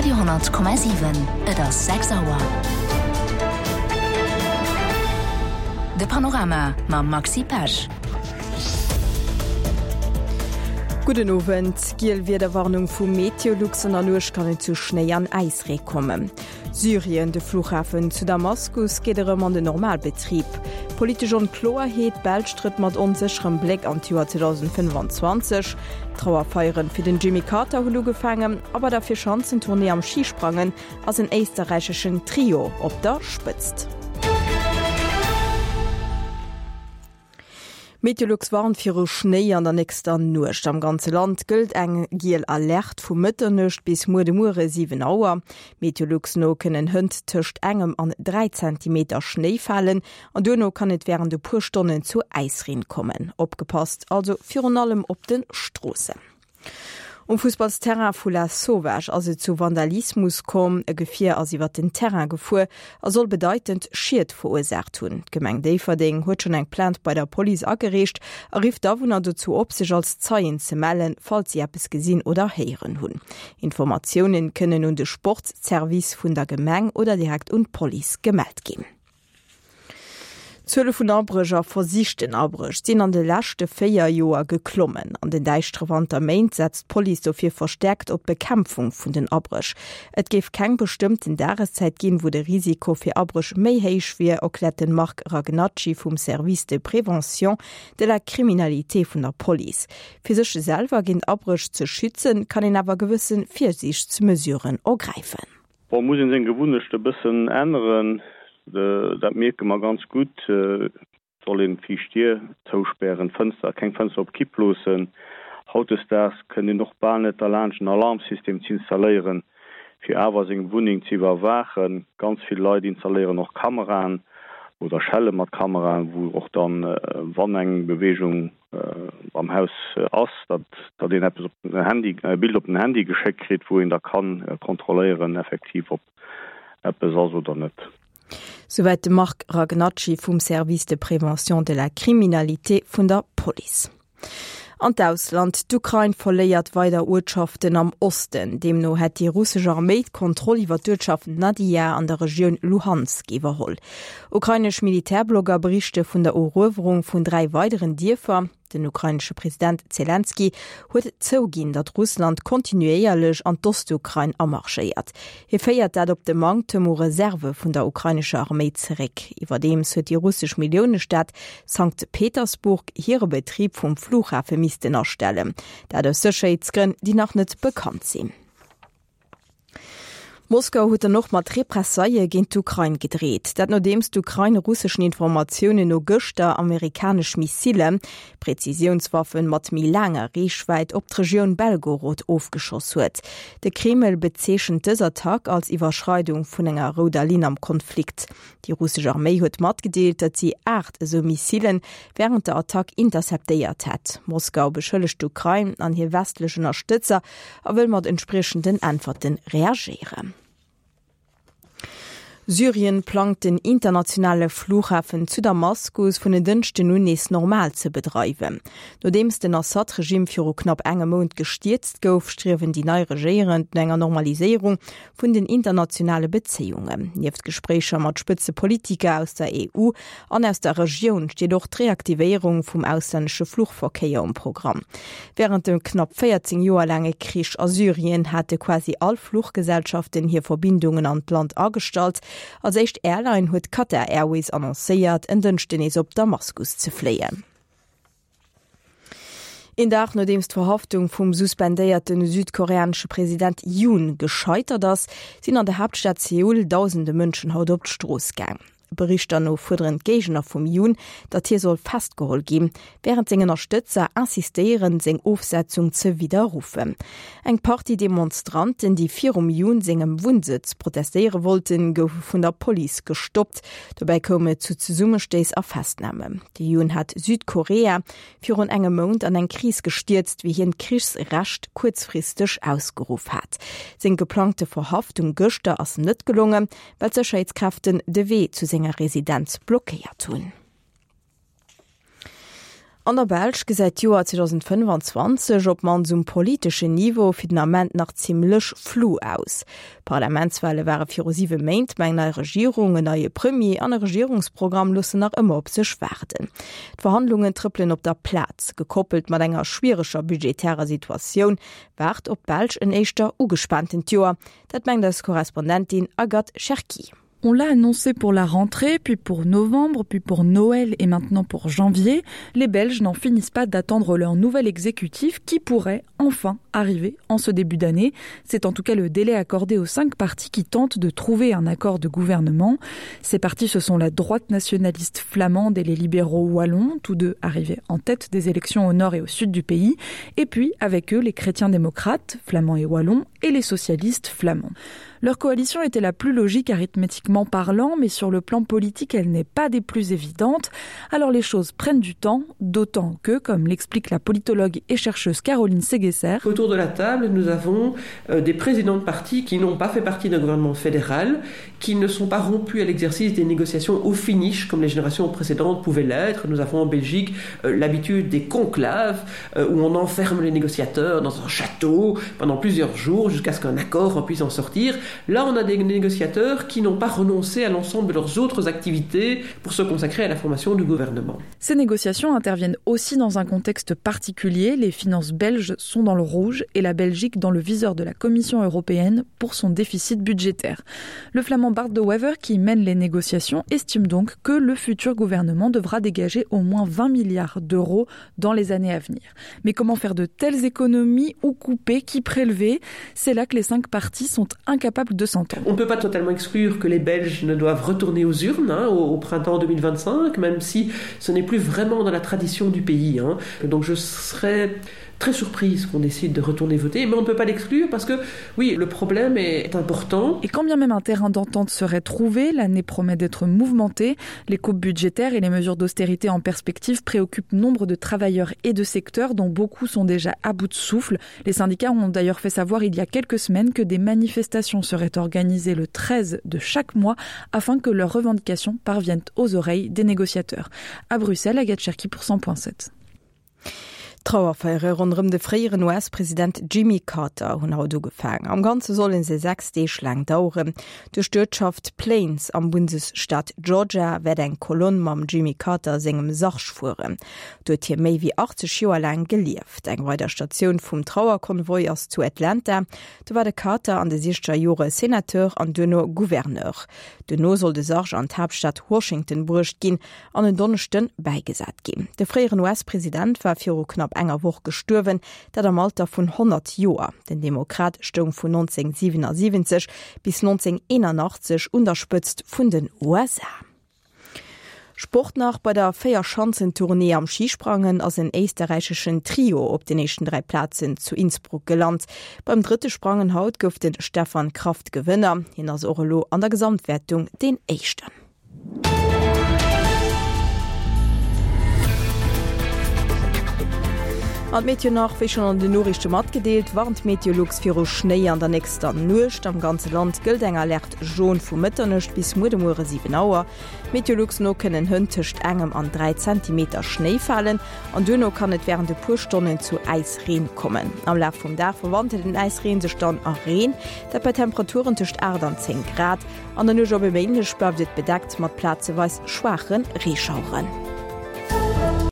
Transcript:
Radio,7 Et ass 6 Auer. De Panorama mam Maxi Pesch. Gudden Owend. Giel Wiederwarnung vu Meteolux, An der Nuecht kann et zu Schnéi an Äisree kommen. Syrien, De Flughafen zu Damaskus geet erëm an den Normalbetrib. Politesch Onkloerheet, D'Belsch trëtt mat onsécherem Bléck an d'Joer 2025. D'Trauerfeieren fir den Jimmy Carter hunn ugefaangen a bei der Vierschanzentournée am Schisprangen ass en éisterräicheschen Trio op der Spëtzt. Meteolux warnt viru Schnéi an der nächster Nuecht. Am ganze Land gëllt eng giel Alerte vu Mëtternuecht bis muer de Muere 7 Auer. Meteolux no kënnen hënt tëscht engem an 3 Zentimeter Schnéi falen an duerno kann et wärend e puer Stonnen zu Äisreen kommen. Opgepasst also virun allem op de Stroossen. Um Fussballsterrain vu La Sauvage ass et zu Vandalismus komm. E Gefier ass iwwer den Terrain gefuer a soll bedeitend Schied verursaacht hunn. D'Gemeng Déifferdeng huet schonn eng Plainte bei der Police agereecht a rifft d'Awunner dozou op, sech als Zeien ze mellen, falls si eppes gesinn oder héieren hunn. Informatiounen kënnen un de Sportsservice vun der Gemeng oder direkt un d'Police gemellt ginn. D'Zuele vun Abréch a versichten Abréch sinn an de leschte 4 Joer geklommen. An den däischtere Wanterméint setzt d'Police dofir verstäerkt op d'Bekämpfung vun den Abréch. Et géif keng bestëmmten Dageszäit ginn, wou de Risiko fir Abréch méi héich wier, erkläert de Marc Ragnacci vum Service de prévention de la criminalité vun der Police. Fir sech selwer géint Abréch ze schützen, kann een awer gewësse Virsiichtsmesuren ergräifen. Bon, muss een seng Gewunnecht e bëssen änneren, dat mierke mer ganz gutt. Et soll een d'viischt Dier zouspären, d'Fënster, keng Fënster op Kipp loossen. Hautdesdaags kënnt een och bal net derlaanscht en Alarmsystem z'installéieren, fir awer seng Wunneng ze iwwerwaachen. Ganz vill Leit installéieren och Kameraen oder Schelle mat Kameraen, wou och dann, wann eng Beweegung am Haus ass, datt datt een eppes op den Handy, e Bild op den Handy geschéckt kritt, wou een da kann kontrolléieren effektiv ob eppes ass oder net. Souwäit de Marc Ragnacci vum Service de prévention de la criminalité vun der Police. An d'Ausland, D'Ukrain verléiert weider Uertschaften am Osten. Deemno hätt déi russesch Arméi d'Kontroll iwwer d'Uertschaft Nadija an der Regioun Luhansk iwwerholl. Ukrainesch Militärblogger berichte vun der Eruewerung vun 3 weideren Dierfer. Den ukrainesche President Zelenskyj huet zouginn, datt Russland kontinuéierlech an d'Ostukrain amarschéiert. Hie féiert dat op de Manktem u Reserve vun der ukrainescher Arméi zeréck. Iwwerdeems huet déi russesch Milliounestad Sankt Petersburg hire Betrib vum Flughafe missten astellen. Dat aus Sécherheetsgrënn, déi nach net bekannt sinn. Moskau huet dann och mat Repressaille géint d'Ukrain gedreet. Dat nodeems d'Ukrain russeschen Informatiounen no gëschter amerikanesch Missile, Präzisiounswaffen mat méi laanger Reechwäit, op d'Regioun Belgorod ofgeschoss huet. De Kreml bezeechent dës Attack als Iwwerschreidung vun enger rouder Linn am Konflikt. Déi russesch Arméi huet matgedeelt, datt si 8 esou Missile wärend der Attack interceptéiert hätt. Moskau beschëllegt d'Ukrain an hir westlech Ënnerstëtzer a wëll mat entspriechenden Äntwerte reagéieren. Syrien plangt den internationale Flughafen zu Damaskus vun en Dënschden un nees normal ze bedreiwen. Nodeems den Assad-Regimm viru knapp engem Mount gestierzt gouf, striewen déi nei Regéierend no enger Normaliséierung vun den internationale Bezéiungen. Nieft Gespréicher mat Spëtzepolitiker aus der EU an aus der Regioun steet och d'Reaktivéierung vum auslännesche Fluchverkéier um Programm. Wärend dem knapp 14 Joer laange Krich a Syrien hate quasi all Fluchgesellschaften hir Verbindungen an d'Land agestallt. Als éischt Airline huet Qatar Airways annoncéiert, en Dënschden nees op Damaskus ze fléien. Een Dag nodeems d'Verhaftung vum suspendéierte südkoreanesche President Yoon gescheitert ass, sinn an der Haaptstad Seoul dausende Mënschen haut op d'Strooss gaang. Berichter no fuerderen d'Géigner vum Yoon, datt hie soll festgeholl ginn, wärend seng Ënnerstëtzer insistéieren, seng Ofsetzung ze widderruffen. Eng Partie Demonstranten, déi virum Yoon sengem Wunnsëtz protestéiere wollten, goufe vun der Police gestoppt. Dobäi koum et zu Zesummestéiss a Festnamen. De Yoon hat Südkorea virun engem Mount an eng Kris gestierzt, wéi hien d'Krichsrecht kuerzfristeg ausgeruff hat. Seng geplangte Verhaftung gëschter ass net gelongen, well d'Sécherheetskräften de Wee zu senger Residenz blockéiert hunn. An der Belsch gesäit d'Joer 2025 op d'mannst um politeschen Niveau fir den Ament nach zimmlech flu aus. D'Parlamentswale ware viru siwe Méint, ma eng nei Regierung, en neie Premier an e Regierungsprogramm loossen nach ëmmer op sech waarden. D'Verhandlungen trëppelen op der Plaz. Gekoppelt mat enger schwiereger budgetärer Situatioun waart op d'Belsch en éischter ugespaantent Joer. Dat mengt eis Korrespondentin Agathe Cherki. On l'a annoncé pour la rentrée, puis pour novembre, puis pour Noël et maintenant pour janvier. Les Belges n'en finissent pas d'attendre leur nouvel exécutif qui pourrait enfin arriver en ce début d'année. C'est en tout cas le délai accordé aux cinq partis qui tentent de trouver un accord de gouvernement. Ces partis, ce sont la droite nationaliste flamande et les libéraux wallons, tous deux arrivés en tête des élections au nord et au sud du pays, et puis avec eux les chrétiens démocrates, flamands et wallons, et les socialistes flamands. Leur coalition était la plus logique arithmétiquement parlant, mais sur le plan politique, elle n'est pas des plus évidentes. Alors les choses prennent du temps, d'autant que, comme l'explique la politologue et chercheuse Caroline Seguesser, Autour de la table, nous avons euh, des présidents de partis qui n'ont pas fait partie d'un gouvernement fédéral, qui ne sont pas rompus à l'exercice des négociations au finish, comme les générations précédentes pouvaient l'être. Nous avons en Belgique euh, l'habitude des conclaves, euh, où on enferme les négociateurs dans un château pendant plusieurs jours jusqu'à ce qu'un accord en puisse en sortir. Là, on a des négociateurs qui n'ont pas renoncé à l'ensemble de leurs autres activités pour se consacrer à la formation du gouvernement. Ces négociations interviennent aussi dans un contexte particulier. Les finances belges sont dans le rouge et la Belgique dans le viseur de la Commission européenne pour son déficit budgétaire. Le flamand Bart de Wever, qui mène les négociations, estime donc que le futur gouvernement devra dégager au moins 20 milliards d'euros dans les années à venir. Mais comment faire de telles économies ou couper qui prélever C'est là que les cinq partis sont incapables de s'entendre. On ne peut pas totalement exclure que les Belges ne doivent retourner aux urnes hein, au, au printemps 2025, même si ce n'est plus vraiment dans la tradition du pays. Hein. Donc je serais très surprise qu'on décide de retourner voter, mais on ne peut pas l'exclure parce que oui, le problème est important. Et quand bien même un terrain d'entente serait trouvé, l'année promet d'être mouvementée. Les coupes budgétaires et les mesures d'austérité en perspective préoccupent nombre de travailleurs et de secteurs dont beaucoup sont déjà à bout de souffle. Les syndicats ont d'ailleurs fait savoir il y a quelques semaines que des manifestations seraient organisées le 13 de chaque mois afin que leurs revendications parviennent aux oreilles des négociateurs. À Bruxelles, Agathe Cherki pour 100.7. D'Trauerfeiere ronderëm de fréieren US-President Jimmy Carter hunn haut ugefaang. Am Ganze solle se 6 Deeg laang daueren. Duerch d'Uertschaft Plains am Bundesstaat Georgia wäert eng Kolonn mam Jimmy Carter sengem Sarg fueren. Do huet hie méi wéi 80 Joer laang gelieft. Eng weider Statioun vum Trauerkonvoi ass zu Atlanta. Do war de Carter an de siechzeger Jore Senateur an duerno Gouverneur. Duerno soll de Sarg an d'Haaptstad Washington bruecht ginn an en Donneschden bäigesat ginn. De fréieren US-President war viru knapp enger Woch gestuerwen, dat am Alter vun 100 Joer. Den Demokrat stoung vun 1977 bis 1981 un der Spëtzt vun den USA. Sport nach, Bei der Véierschanzentournée am Schisprangen ass en éisterräicheschen Trio op den éischten 3 Plazen zu Innsbruck gelant. Beim drëtte Sprangen haut gouf de Stefan Kraft Gewënner. Hien ass och elo an der Gesamtwäertung deen Éischten. An d'Meteo nach, Wéi schonn an den Noriichte matgedeelt, warnt Meteolux viru Schnéi an der nächster Nuecht. Am ganze Land gëllt eng Alerte jaune vu Mëtternuecht bis muer de Muere 7 Auer. Meteolux no kënnen hënt tëscht engem an 3 Zentimeter Schnéi falen an duerno kann et wärend e puer Stonnen zu Äisreen kommen. Am Laf vum Dag verwandelt den Äisreen sech dann a Reen, dat bei Temperaturen tëscht 8 an 10 Grad. An der Nuecht op e Méindeg bleift et bedeckt mat plazeweis schwaache Reeschaueren.